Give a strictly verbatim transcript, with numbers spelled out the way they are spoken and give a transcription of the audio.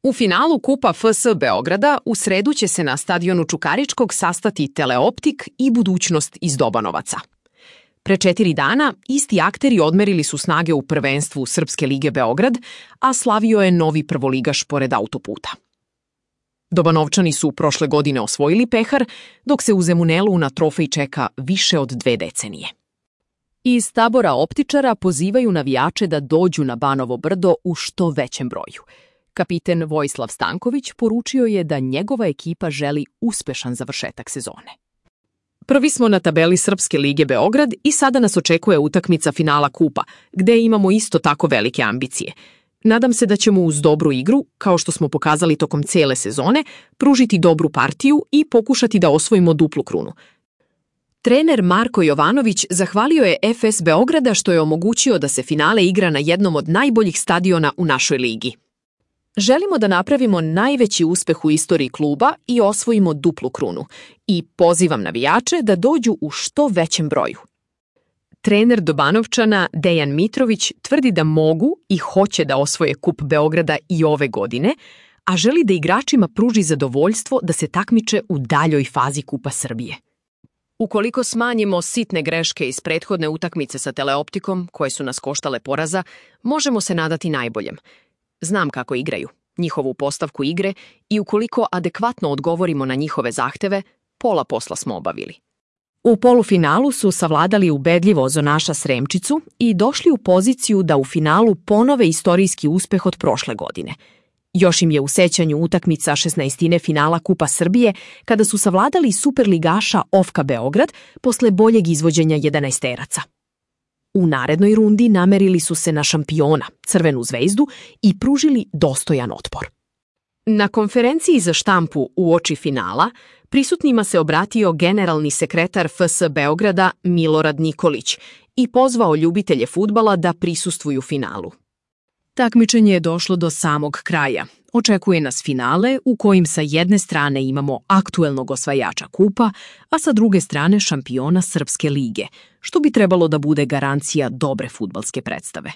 U finalu Kupa F S Beograda u sredu će se na stadionu Čukaričkog sastati Teleoptik i Budućnost iz Dobanovaca. Pre četiri dana isti akteri odmerili su snage u prvenstvu Srpske lige Beograd, a slavio je novi prvoligaš pored autoputa. Dobanovčani su prošle godine osvojili pehar, dok se u Zemunelu na trofej čeka više od dve decenije. Iz tabora optičara pozivaju navijače da dođu na Banovo brdo u što većem broju. Kapiten Vojislav Stanković poručio je da njegova ekipa želi uspešan završetak sezone. Prvi smo na tabeli Srpske lige Beograd i sada nas očekuje utakmica finala Kupa, gde imamo isto tako velike ambicije. Nadam se da ćemo uz dobru igru, kao što smo pokazali tokom cele sezone, pružiti dobru partiju i pokušati da osvojimo duplu krunu. Trener Marko Jovanović zahvalio je F S Beograda što je omogućio da se finale igra na jednom od najboljih stadiona u našoj ligi. Želimo da napravimo najveći uspeh u istoriji kluba i osvojimo duplu krunu i pozivam navijače da dođu u što većem broju. Trener Dobanovčana Dejan Mitrović tvrdi da mogu i hoće da osvoje Kup Beograda i ove godine, a želi da igračima pruži zadovoljstvo da se takmiče u daljoj fazi Kupa Srbije. Ukoliko smanjimo sitne greške iz prethodne utakmice sa Teleoptikom, koje su nas koštale poraza, možemo se nadati najboljem. Znam kako igraju, njihovu postavku igre i ukoliko adekvatno odgovorimo na njihove zahteve, pola posla smo obavili. U polufinalu su savladali ubedljivo ozonaša Sremčicu i došli u poziciju da u finalu ponove istorijski uspeh od prošle godine. Još im je u sećanju utakmica šesnaestine finala Kupa Srbije kada su savladali superligaša Ofka Beograd posle boljeg izvođenja jedanaesteraca. U narednoj rundi namerili su se na šampiona, Crvenu zvezdu, i pružili dostojan otpor. Na konferenciji za štampu uoči finala prisutnima se obratio generalni sekretar F S Beograda Milorad Nikolić i pozvao ljubitelje fudbala da prisustvuju finalu. Takmičenje je došlo do samog kraja. Očekuje nas finale u kojim sa jedne strane imamo aktuelnog osvajača kupa, a sa druge strane šampiona Srpske lige, što bi trebalo da bude garancija dobre fudbalske predstave.